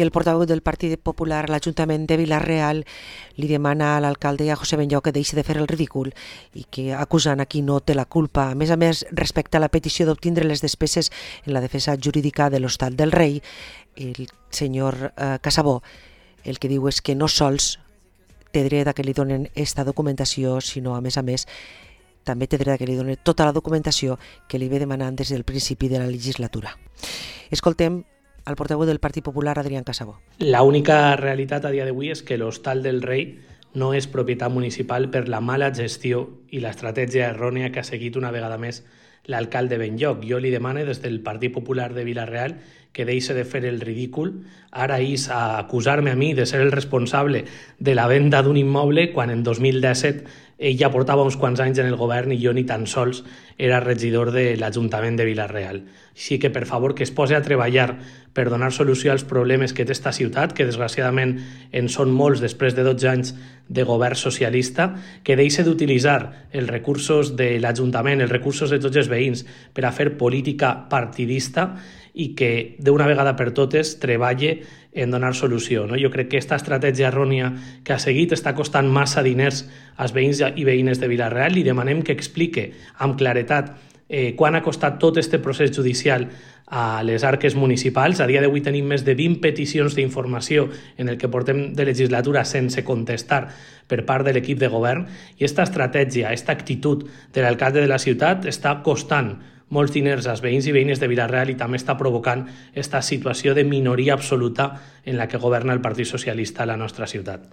que el portaveu del Partit Popular a l'Ajuntament de Vila-real li demana a l'alcalde a José Benlloch que deixi de fer el ridícul i que acusant a qui no té la culpa. A més, respecte a la petició d'obtindre les despeses en la defensa jurídica de l'Hostal del Rei, el senyor Casabó el que diu és que no sols té dret a que li donen esta documentació, sinó, a més, també té dret a que li donen tota la documentació que li ve demanant des del principi de la legislatura. Escoltem al portaveu del Partit Popular, Adrián Casabó. La única realitat a dia d'avui és que l'Hostal del Rei no és propietat municipal per la mala gestió i l'estratègia errònia que ha seguit una vegada més l'alcalde Benlloch. Jo li demano des del Partit Popular de Vila-real que deixi de fer el ridícul. Ara és a acusar-me a mi de ser el responsable de la venda d'un immoble quan en 2017 ell ja portava uns quants anys en el govern i jo ni tan sols era regidor de l'Ajuntament de Vila-real. Així que, per favor, que es posi a treballar per donar solució als problemes que té esta ciutat, que desgraciadament en són molts després de 12 anys de govern socialista, que deixi d'utilitzar els recursos de l'Ajuntament, els recursos de tots els veïns per a fer política partidista i que d'una vegada per totes treballe en donar solució. Jo crec que aquesta estratègia errònia que ha seguit està costant massa diners als veïns i veïnes de Vila-real. Li demanem que explique amb claretat quan ha costat tot aquest procés judicial a les arques municipals. A dia d'avui tenim més de 20 peticions d'informació en el que portem de legislatura sense contestar per part de l'equip de govern i aquesta estratègia, aquesta actitud de l'alcalde de la ciutat està costant molts diners als veïns i veïnes de Vila-real i també està provocant aquesta situació de minoria absoluta en la que governa el Partit Socialista a la nostra ciutat.